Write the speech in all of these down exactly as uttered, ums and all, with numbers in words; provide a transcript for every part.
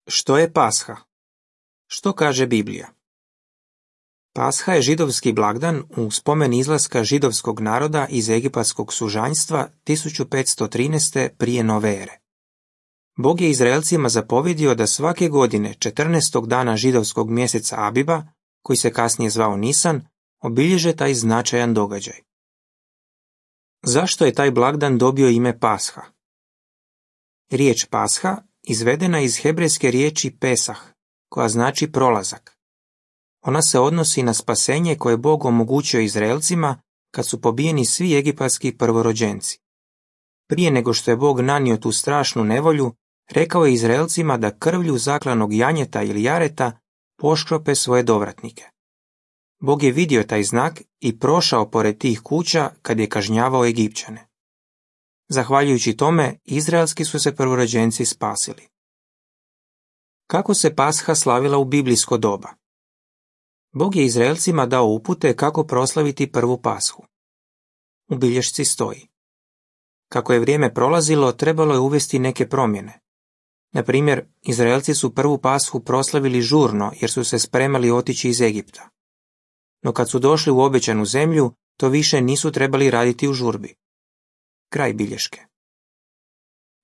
Što je Pasha? Što kaže Biblija? Pasha je židovski blagdan u spomen izlaska židovskog naroda iz egipatskog sužanjstva tisuću petsto trinaeste prije nove ere. Bog je Izraelcima zapovjedio da svake godine četrnaestog dana židovskog mjeseca Abiba, koji se kasnije zvao Nisan, obilježe taj značajan događaj. Zašto je taj blagdan dobio ime Pasha? Riječ Pasha izvedena iz hebrejske riječi Pesah, koja znači prolazak. Ona se odnosi na spasenje koje Bog omogućio Izraelcima kad su pobijeni svi egipatski prvorođenci. Prije nego što je Bog nanio tu strašnu nevolju, rekao je Izraelcima da krvlju zaklanog janjeta ili jareta poškrope svoje dovratnike. Bog je vidio taj znak i prošao pored tih kuća kad je kažnjavao Egipćane. Zahvaljujući tome, izraelski su se prvorođenci spasili. Kako se Pasha slavila u biblijsko doba? Bog je Izraelcima dao upute kako proslaviti prvu Pashu. U bilješci stoji: kako je vrijeme prolazilo, trebalo je uvesti neke promjene. Na primjer, Izraelci su prvu Pashu proslavili žurno jer su se spremali otići iz Egipta. No kad su došli u obećanu zemlju, to više nisu trebali raditi u žurbi. Kraj bilješke.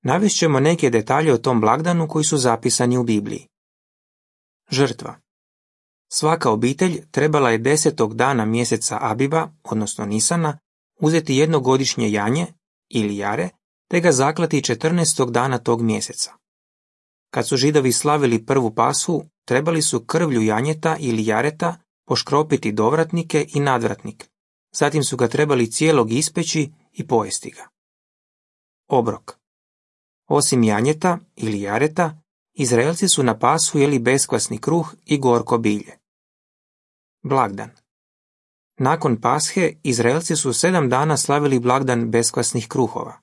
Navest ćemo neke detalje o tom blagdanu koji su zapisani u Bibliji. Žrtva. Svaka obitelj trebala je desetog dana mjeseca Abiba, odnosno Nisana, uzeti jednogodišnje janje ili jare, te ga zaklati četrnaestog dana tog mjeseca. Kad su Židovi slavili prvu Pashu, trebali su krvlju janjeta ili jareta poškropiti dovratnike i nadvratnik, zatim su ga trebali cijelog ispeći i pojesti ga. Obrok. Osim janjeta ili jareta, Izraelci su na Pashu jeli beskvasni kruh i gorko bilje. Blagdan. Nakon Pashe, Izraelci su sedam dana slavili blagdan beskvasnih kruhova.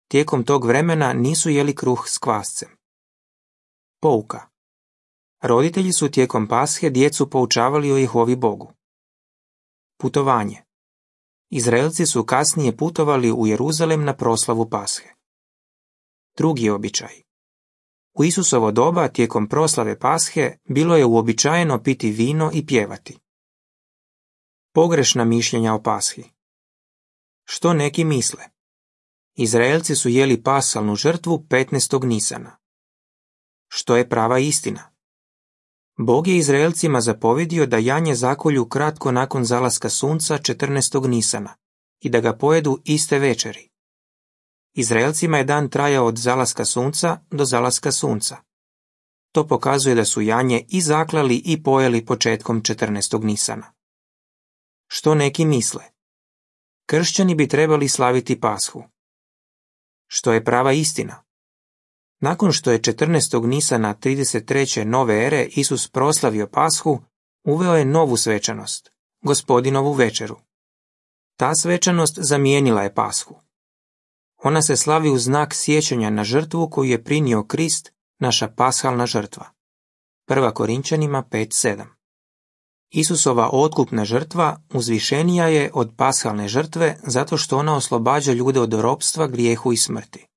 Tijekom tog vremena nisu jeli kruh s kvascem. Pouka. Roditelji su tijekom Pashe djecu poučavali o Jehovi Bogu. Putovanje. Izraelci su kasnije putovali u Jeruzalem na proslavu Pashe. Drugi običaj. U Isusovo doba tijekom proslave Pashe bilo je uobičajeno piti vino i pjevati. Pogrešna mišljenja o Pashi. Što neki misle? Izraelci su jeli pasalnu žrtvu petnaestog Nisana. Što je prava istina? Bog je Izraelcima zapovjedio da janje zakolju kratko nakon zalaska sunca četrnaestog Nisana i da ga pojedu iste večeri. Izraelcima je dan trajao od zalaska sunca do zalaska sunca. To pokazuje da su janje i zaklali i pojeli početkom četrnaestog Nisana. Što neki misle? Kršćani bi trebali slaviti Pashu. Što je prava istina? Nakon što je četrnaestog Nisana trideset treće nove ere Isus proslavio Pashu, uveo je novu svečanost, Gospodinovu večeru. Ta svečanost zamijenila je Pashu. Ona se slavi u znak sjećanja na žrtvu koju je prinio Krist, naša pashalna žrtva. Prva Korinčanima pet sedam. Isusova otkupna žrtva uzvišenija je od pashalne žrtve zato što ona oslobađa ljude od ropstva, grijehu i smrti.